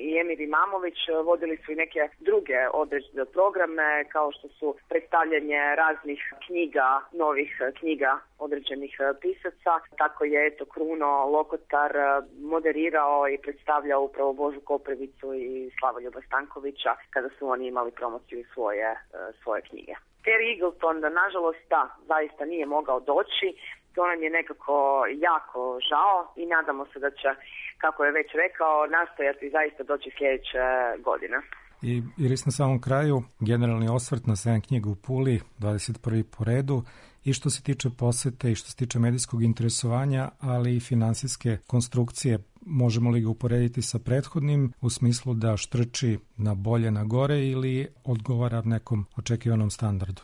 i Emir Imamović vodili su i neke druge određene programe, kao što su predstavljanje raznih knjiga, novih knjiga određenih pisaca. Tako je eto Kruno Lokotar moderirao i predstavljao upravo Božu Koprivicu i Slavoljuba Stankovića kada su oni imali promociju svoje, svoje knjige. Terry Eagleton, nažalost, da, zaista nije mogao doći. To nam je nekako jako žao i nadamo se da će, kako je već rekao, nastojati zaista doći sljedeće godine. I Iris, na samom kraju, generalni osvrt na sajam knjiga u Puli, dvadeset prvi po redu, i što se tiče posete i što se tiče medijskog interesovanja, ali i finansijske konstrukcije. Možemo li ga uporediti sa prethodnim u smislu da štrči na bolje, na gore ili odgovara nekom očekivanom standardu?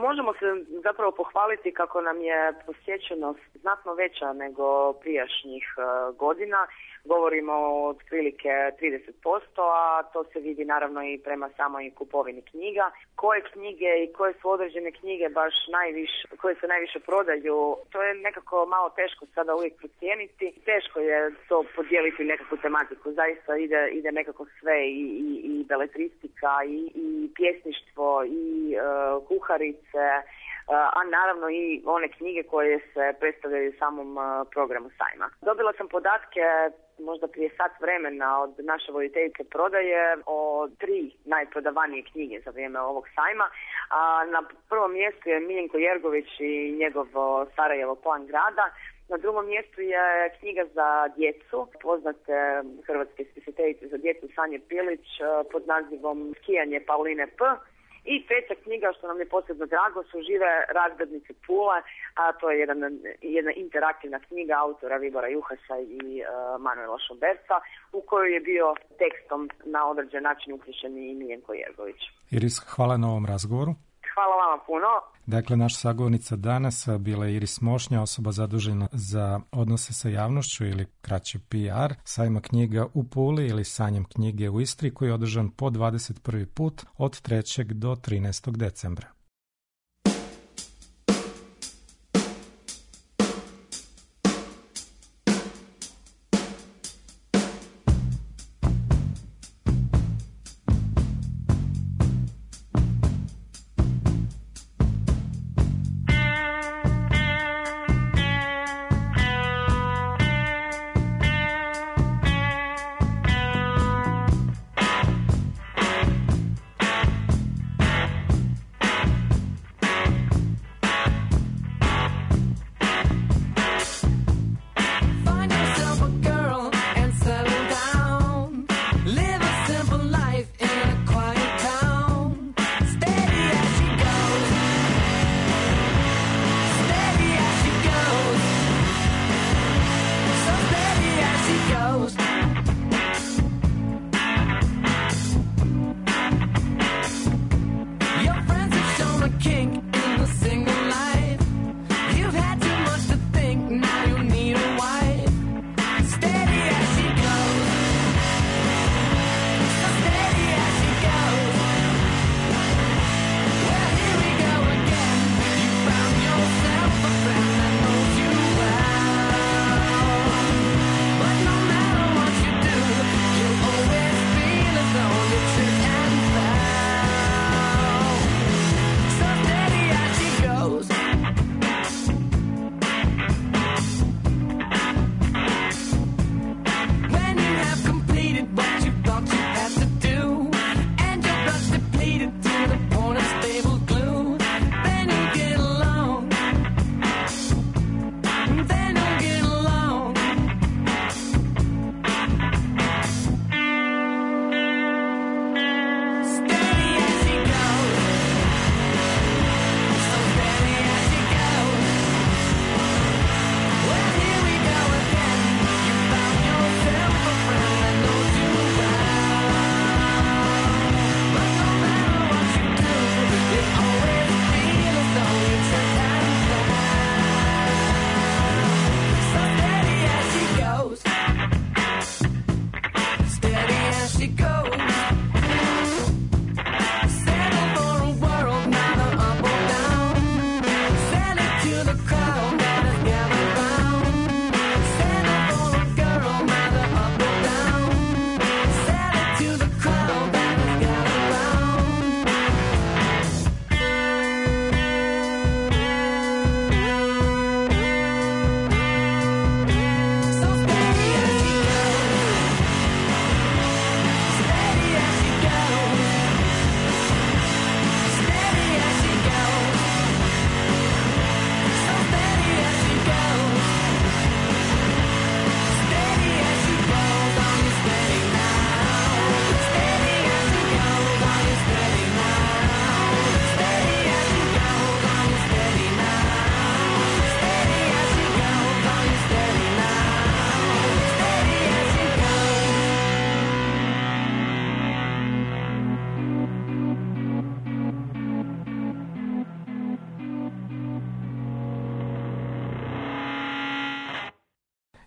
Možemo se zapravo pohvaliti kako nam je posjećenost znatno veća nego prijašnjih uh, godina. Govorimo o otprilike trideset posto, a to se vidi naravno i prema samoj kupovini knjiga. Koje knjige i koje su određene knjige baš najviše, koje se najviše prodaju, to je nekako malo teško sada uvijek procijeniti. Teško je to podijeliti nekakvu tematiku. Zaista ide, ide nekako sve i, i, i beletristika i, i pjesništvo i uh, kuharice, a naravno i one knjige koje se predstavljaju u samom programu sajma. Dobila sam podatke možda prije sat vremena od naše voditeljice prodaje o tri najprodavanije knjige za vrijeme ovog sajma. A na prvom mjestu je Miljenko Jergović i njegov Sarajevo plan grada. Na drugom mjestu je knjiga za djecu, poznate hrvatske spisateljice za djecu Sanje Pilić pod nazivom Skijanje Pauline P. I treća knjiga, što nam je posebno drago, su Žive razglednice Pule, a to je jedan, jedna interaktivna knjiga autora Vibora Juhasa i uh, Manuela Šomberca, u kojoj je bio tekstom na određen način uključen i Miljenko Jergović. Iris, hvala na ovom razgovoru. Hvala vama puno. Dakle, naša sagovornica danas bila je Iris Mošnja, osoba zadužena za odnose sa javnošću ili kraće P R, sajma knjiga u Puli ili sajam knjige u Istri, koji je održan po dvadeset prvi put od trećeg do trinaestog decembra.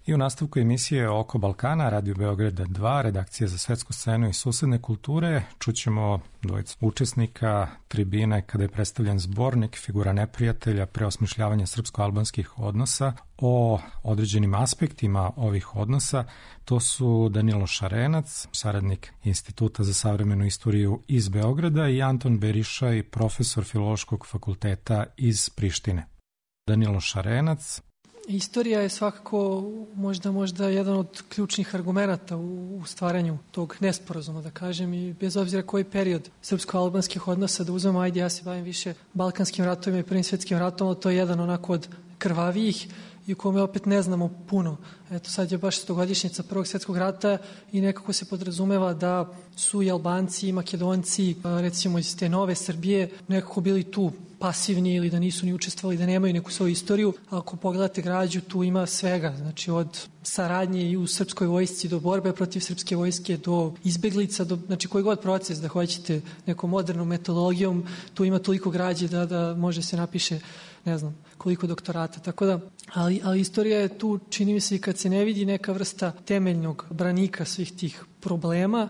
I u nastavku emisije Oko Balkana, Radio Beograda dva, redakcija za svetsku scenu i susedne kulture, čućemo dvojicu učesnika tribine kada je predstavljen zbornik Figura neprijatelja, preosmišljavanje srpsko-albanskih odnosa o određenim aspektima ovih odnosa. To su Danilo Šarenac, saradnik Instituta za savremenu istoriju iz Beograda, i Anton Berišaj, profesor Filološkog fakulteta iz Prištine. Danilo Šarenac. Istorija je svakako možda možda jedan od ključnih argumenata u stvaranju tog nesporazuma, da kažem, i bez obzira koji period srpsko-albanskih odnosa da uzmemo, ajde, ja se bavim više Balkanskim ratovima i Prvim svjetskim ratom, to je jedan onako od krvavijih i u kome opet ne znamo puno. Eto, sad je baš stogodišnjica Prvog svjetskog rata i nekako se podrazumeva da su i Albanci i Makedonci, recimo iz te nove Srbije, nekako bili tu pasivni ili da nisu ni učestvovali, da nemaju neku svoju istoriju. Ako pogledate građu, tu ima svega, znači od saradnje i u srpskoj vojsci do borbe protiv srpske vojske, do izbeglica, do, znači koji god proces da hoćete nekom modernom metodologijom, tu ima toliko građe da, da može se napiše, ne znam, koliko doktorata. Tako da, ali, ali istorija je tu, čini mi se, i kad se ne vidi neka vrsta temeljnog branika svih tih problema,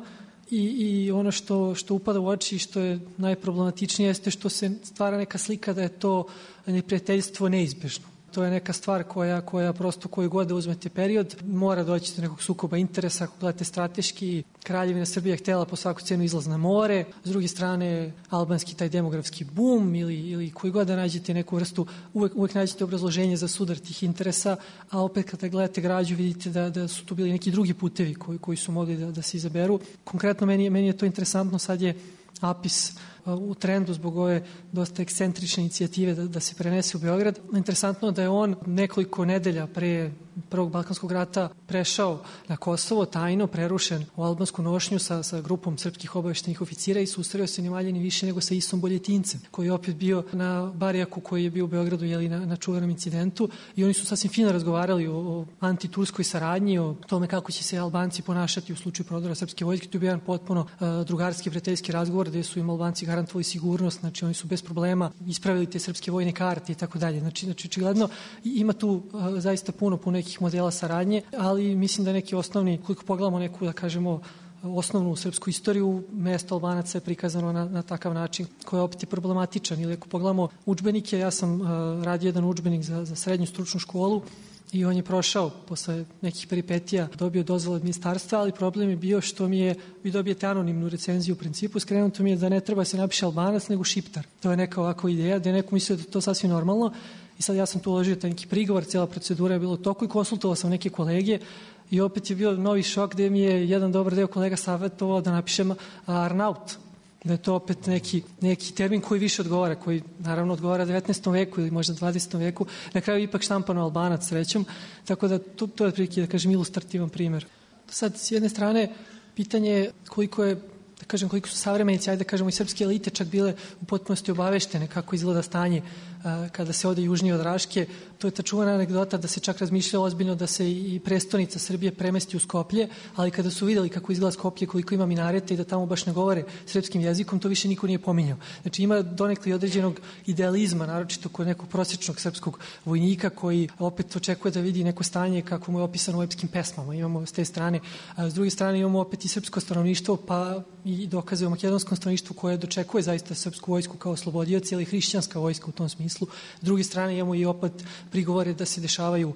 I, i ono što, što upada u oči i što je najproblematičnije jeste što se stvara neka slika da je to neprijateljstvo neizbežno. To je neka stvar koja, koja prosto koju god da uzmete period mora doći do nekog sukoba interesa. Ako gledate strateški, Kraljevina Srbija je htjela po svaku cenu izlaz na more, s druge strane albanski taj demografski bum ili, ili koji god da nađete neku vrstu, uvek, uvek nađete obrazloženje za sudar tih interesa, a opet kada gledate građu vidite da, da su tu bili neki drugi putevi koji, koji su mogli da, da se izaberu. Konkretno meni, meni je to interesantno, sad je Apis u trendu zbog ove dosta ekscentrične inicijative da, da se prenese u Beograd. Interesantno da je on nekoliko nedelja pre Prvog Balkanskog rata prešao na Kosovo, tajno, prerušen u albansku nošnju sa, sa grupom srpskih obaveštenih oficira i susreo se ni manje ni više nego sa Isom Boljetincem, koji je opet bio na Barijaku koji je bio u Beogradu, jeli, na, na čuvenom incidentu, i oni su sasvim fino razgovarali o, o antiturskoj saradnji, o tome kako će se Albanci ponašati u slučaju prodora srpske vojske. To je bio jedan potpuno uh, drugarski, prijateljski razgovor gde su im Albanci garantovali sigurnost, znači oni su bez problema ispravili te srpske vojne karte i tako dalje. Znači, znači očigledno ima tu uh, zaista puno, puno nekih modela saradnje, ali mislim da neki osnovni, koliko pogledamo neku, da kažemo, osnovnu srpsku istoriju, mesto Albanaca je prikazano na, na takav način koji je opet problematičan. Ili ako pogledamo udžbenike, ja sam uh, radio jedan udžbenik za, za srednju stručnu školu i on je prošao posle nekih peripetija, dobio dozvolu od ministarstva, ali problem je bio što mi je, vi dobijete anonimnu recenziju u principu, skrenuto mi je da ne treba se napiše Albanac nego Šiptar. To je neka ovako ideja, da je neko mislio da je to sasvim normalno. I sad ja sam tu uložio taj neki prigovor, cijela procedura je bila u toku i konsultovao sam neke kolege i opet je bio novi šok gde mi je jedan dobar deo kolega savjetovao da napišem Arnaut, da je to opet neki, neki termin koji više odgovara, koji naravno odgovara devetnaestom veku ili možda dvadesetom veku, na kraju ipak štampano Albanac srećom, tako da to, to je prilike, da kažem, ilustrativan primjer. Sad, s jedne strane, pitanje je koliko je, da kažem, koliko su savremenici, ajde da kažemo i srpske elite čak bile u potpunosti obaveštene kako izgleda stanje a, kada se ode južnije od Raške. To je ta čuvana anegdota da se čak razmišljalo ozbiljno da se i prestonica Srbije premesti u Skoplje, ali kada su videli kako izgleda Skoplje, koliko ima minareta i da tamo baš ne govore srpskim jezikom, to više niko nije pominjao. Znači ima donekle određenog idealizma, naročito kod nekog prosječnog srpskog vojnika koji opet očekuje da vidi neko stanje kako mu je opisano u epskim pesmama. Imamo s te strane. A s druge strane imamo opet i srpsko stanovništvo, pa i dokaze o makedonskom stanovništvu koje dočekuje zaista srpsku vojsku kao oslobodioci, ali hrišćanska vojska u tom smislu. S druge strane imamo i opet prigovore da se dešavaju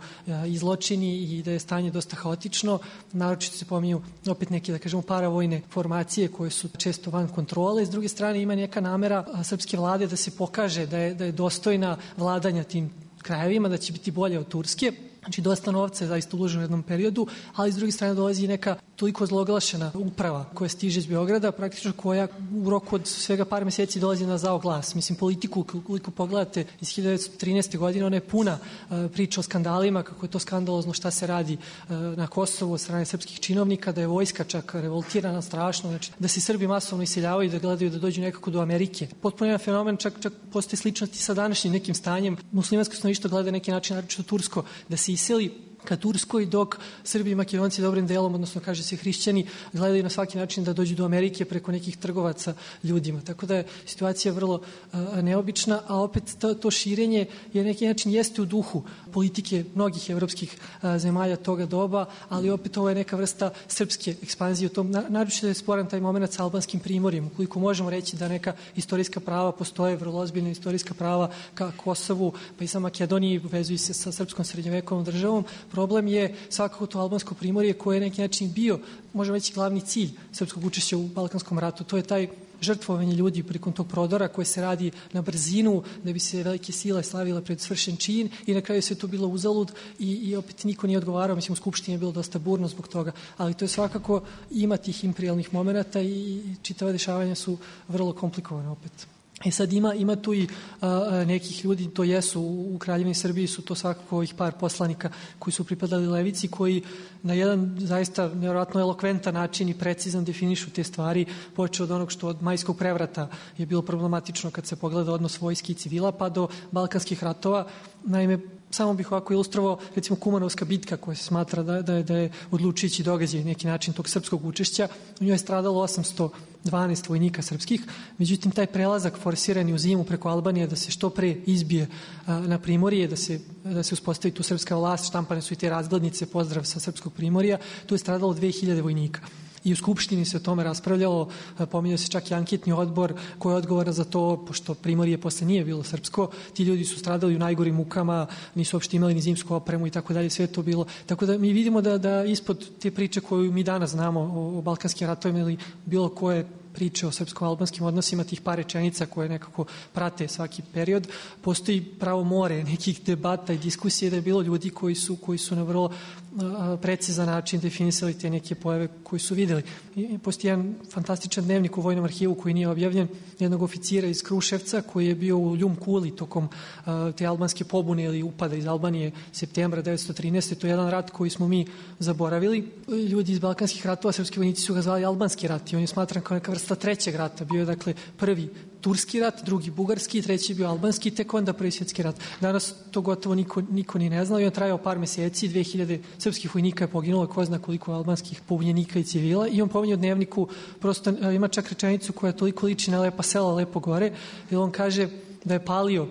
i zločini i da je stanje dosta haotično. Naročito se pominju opet neke, da kažemo, paravojne formacije koje su često van kontrole. S druge strane ima neka namera srpske vlade da se pokaže da je, da je dostojna vladanja tim krajevima, da će biti bolje od Turske. Znači, dosta novca je zaista uloženo u jednom periodu, ali s druge strane dolazi neka toliko zloglašena uprava koja stiže iz Beograda, praktično koja u roku od svega par meseci dolazi na zao glas. Mislim, politiku, koliko pogledate iz hiljadu devetsto trinaeste. godine, ona je puna uh, priča o skandalima, kako je to skandalozno šta se radi uh, na Kosovu od strane srpskih činovnika, da je vojska čak revoltirana strašno, znači da se Srbi masovno iseljavaju, da gledaju da dođu nekako do Amerike. Potpuno jedan fenomen, čak, čak postoje sličnosti sa današnjim nekim stanjem. Muslimansko stanovništvo gleda neki način, naročito tursko, da se iseli ka Turskoj, dok Srbi i Makedonci dobrim delom, odnosno kaže se hrišćani, gledaju na svaki način da dođu do Amerike preko nekih trgovaca ljudima. Tako da je situacija vrlo a, neobična, a opet to, to širenje je neki način jeste u duhu politike mnogih evropskih a, zemalja toga doba, ali opet ovo je neka vrsta srpske ekspanzije u tom. Na, naročito je sporan taj moment sa albanskim primorjem, ukoliko možemo reći da neka istorijska prava postoje, vrlo ozbiljna istorijska prava ka Kosovu, pa i sa Makedoniji, vezuju se sa srpskom srednjovekovnom državom. Problem je svakako to albansko primorje koje je neki način bio, možemo reći, glavni cilj srpskog učešća u Balkanskom ratu. To je taj žrtvovanje ljudi prilikom tog prodora koje se radi na brzinu da bi se velike sile slavile pred svršen čin i na kraju sve to bilo uzalud i, i opet niko nije odgovarao. Mislim, u Skupštini je bilo dosta burno zbog toga, ali to je svakako ima tih imperijalnih momenta i čitava dešavanja su vrlo komplikovane opet. E sad ima, ima tu i a, nekih ljudi, to jesu u, u Kraljevini Srbiji, su to svakako ovih par poslanika koji su pripadali levici, koji na jedan zaista nevjerojatno elokventan način i precizan definišu te stvari, počeo od onog što od majskog prevrata je bilo problematično kad se pogleda odnos vojske i civila, pa do balkanskih ratova. Naime, samo bih ovako ilustrovao, recimo, Kumanovska bitka koja se smatra da, da, je, da je odlučujući događaj neki način tog srpskog učešća. U njoj je stradalo osamsto dvanaest vojnika srpskih, međutim taj prelazak forsirani u zimu preko Albanije da se što pre izbije a, na Primorje, da se, da se uspostavi tu srpska vlast, štampane su i te razglednice, pozdrav sa srpskog Primorja, tu je stradalo dve hiljade vojnika. I u Skupštini se o tome raspravljalo, pominjao se čak i anketni odbor koji je odgovoran za to, pošto Primorje posle nije bilo srpsko, ti ljudi su stradali u najgorim mukama, nisu uopšte imali ni zimsku opremu i tako dalje, sve to bilo. Tako da mi vidimo da, da ispod te priče koju mi danas znamo o, o balkanskim ratovima ili bilo koje priče o srpsko-albanskim odnosima, tih par rečenica koje nekako prate svaki period, postoji pravo more nekih debata i diskusije da je bilo ljudi koji su, koji su na vrlo a, precizan način definisali te neke pojave koji su videli. I postoji jedan fantastičan dnevnik u Vojnom arhivu koji nije objavljen, jednog oficira iz Kruševca koji je bio u Ljum Kuli tokom a, te albanske pobune ili upada iz Albanije septembra devetsto trinaeste. To je jedan rat koji smo mi zaboravili. Ljudi iz balkanskih ratova, srpski vojnici su ga zvali albanski rat i on je smatran kao neka vrsta trećeg rata. Bio je dakle prvi turski rat, drugi bugarski, treći je bio albanski, tek onda prvi svjetski rat. Danas to gotovo niko, niko ni ne znao i on trajao par meseci, dve hiljade srpskih vojnika je poginulo, ko zna koliko albanskih pobunjenika i civila i on pominje u dnevniku, prosto ima čak rečenicu koja toliko liči na lepa sela, lepo gore, jer on kaže da je palio uh,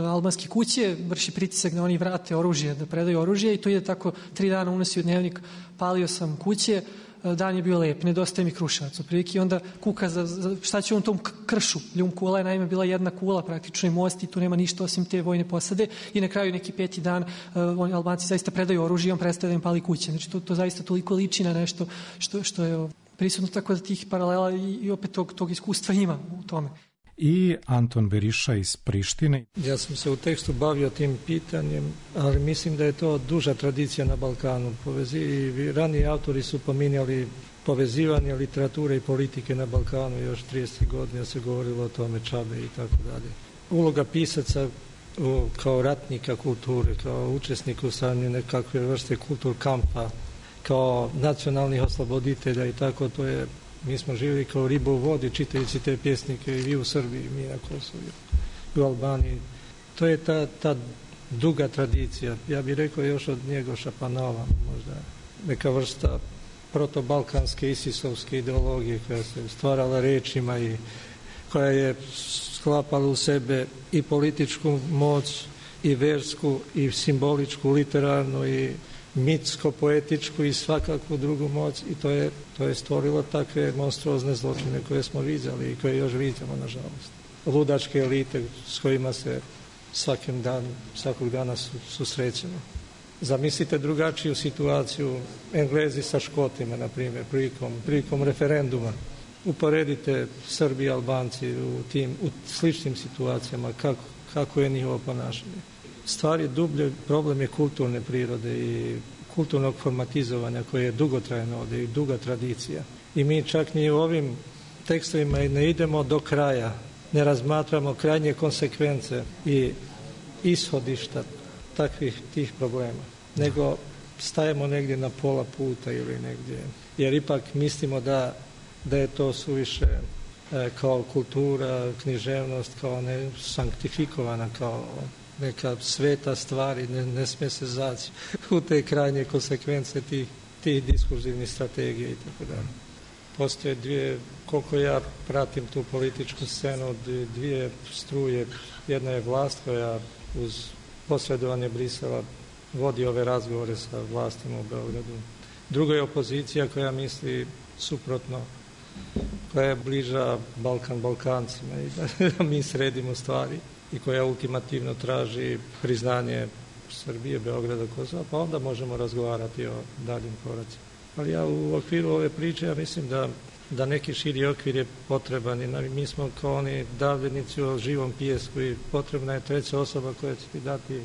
albanske kuće, vrši pritisak da oni vrate oružje, da predaju oružje i to ide tako tri dana unosi u dnevnik, palio sam kuće, dan je bio lep, nedostaje mi Kruševac. Otprilike onda kuka za, za šta će on tom kršu. Ljum Kula je naime bila jedna kula, praktično i most i tu nema ništa osim te vojne posade i na kraju neki peti dan uh, Albanci zaista predaju oružje i on prestaje da im pali kuće. Znači to, to zaista toliko liči na nešto što, što je prisutno, tako da tih paralela i, i opet tog, tog iskustva ima u tome. I Anton Beriša iz Prištine. Ja sam se u tekstu bavio tim pitanjem, ali mislim da je to duža tradicija na Balkanu. Povezi, i raniji autori su pominjali povezivanje literature i politike na Balkanu još trideset godina se govorilo o tome, Čabe i tako dalje. Uloga pisaca u, kao ratnika kulture, kao učesnik u stanju nekakve vrste kultur kampa, kao nacionalnih osloboditelja i tako, to je. Mi smo živjeli kao riba u vodi čitajući te pjesnike i vi u Srbiji, mi na Kosovu, u Albaniji. To je ta, ta duga tradicija. Ja bih rekao još od Njegoša pa na ovam, možda neka vrsta protobalkanske isisovske ideologije koja se stvarala rečima i koja je sklapala u sebe i političku moć i versku i simboličku, literarnu i mitsko-poetičku i svakakvu drugu moć i to je, to je stvorilo takve monstruozne zločine koje smo vidjeli i koje još vidimo, nažalost. Ludačke elite s kojima se svakim dan, svakog dana su, susrećemo. Zamislite drugačiju situaciju Englezi sa Škotima, na primjer, prilikom, prilikom referenduma. Uporedite Srbi i Albanci u tim u sličnim situacijama, kako, kako je njihovo ponašanje. Stvar je dublje, problem je kulturne prirode i kulturnog formatizovanja koje je dugotrajno ovdje i duga tradicija. I mi čak ni u ovim tekstovima ne idemo do kraja, ne razmatramo krajnje konsekvence i ishodišta takvih tih problema, nego stajemo negdje na pola puta ili negdje, jer ipak mislimo da, da je to suviše e, kao kultura, književnost, kao ne sanktifikovana, kao neka sveta stvari, ne, ne smije se zaći u te krajnje konsekvence tih, tih diskurzivnih strategija i tako dalje. Postoje dvije, koliko ja pratim tu političku scenu, dvije struje. Jedna je vlast koja uz posredovanje Brisela vodi ove razgovore sa vlastima u Beogradu. Druga je opozicija koja misli suprotno, koja je bliža Balkan Balkancima i da mi sredimo stvari i koja ultimativno traži priznanje Srbije, Beograda, Kosova, pa onda možemo razgovarati o daljim koracima. Ali ja u okviru ove priče, ja mislim da, da neki širi okvir je potreban i mi smo kao oni davljenici o živom pijesku i potrebna je treća osoba koja će ti dati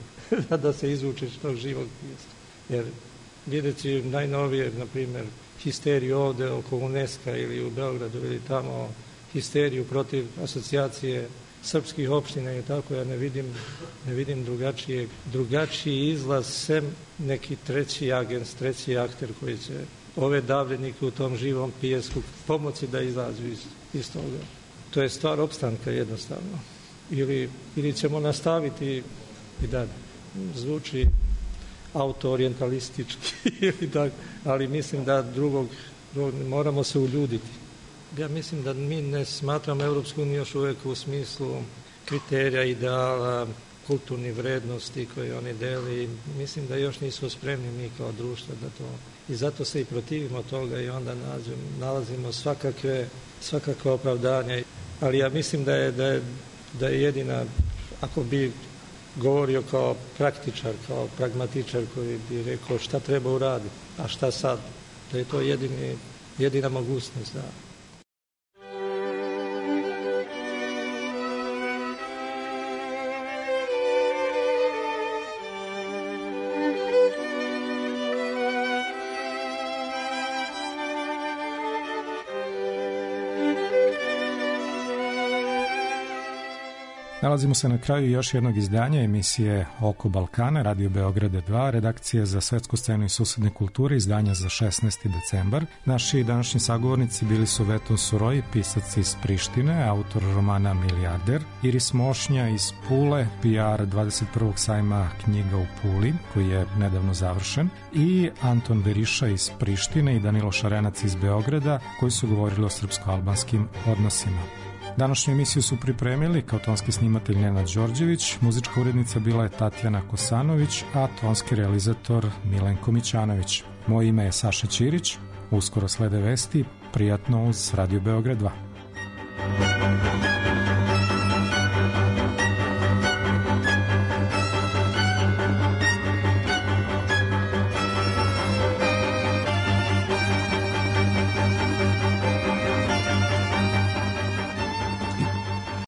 da se izvučeš tog živog pijeska. Jer vidjeti najnovije, na primjer, histeriju ovde oko UNESCO ili u Beogradu ili tamo histeriju protiv asocijacije srpskih opština i tako, ja ne vidim, ne vidim drugačije, drugačiji izlaz sem neki treći agent, treći akter koji će ove davljenike u tom živom pijesku pomoći da izađu iz, iz toga. To je stvar opstanka jednostavno. Ili, ili ćemo nastaviti i da zvuči auto-orientalistički, ali mislim da drugog, drugog moramo se uljuditi. Ja mislim da mi ne smatramo Evropsku uniju još uvijek u smislu kriterija, ideala, kulturnih vrednosti koje oni deli. Mislim da još nisu spremni mi kao društvo da to... I zato se i protivimo toga i onda nađemo, nalazimo svakakve, svakakve opravdanja. Ali ja mislim da je, da je, da je jedina, ako bi govorio kao praktičar, kao pragmatičar koji bi rekao šta treba uraditi, a šta sad, da je to jedini, jedina mogućnost, da. Nalazimo se na kraju još jednog izdanja emisije Oko Balkana, Radio Beograda dva, redakcija za svetsku scenu i susedne kulture, izdanja za šesnaesti decembar. Naši današnji sagovornici bili su Veton Suroj, pisac iz Prištine, autor romana Milijarder, Iris Mošnja iz Pule, P R dvadeset prvog sajma knjiga u Puli, koji je nedavno završen, i Anton Beriša iz Prištine i Danilo Šarenac iz Beograda, koji su govorili o srpsko-albanskim odnosima. Današnju emisiju su pripremili kao tonski snimatelj Nenad Đorđević, muzička urednica bila je Tatjana Kosanović, a tonski realizator Milenko Mićanović. Moje ime je Saša Ćirić, uskoro slede vesti, prijatno uz Radio Beograd dva.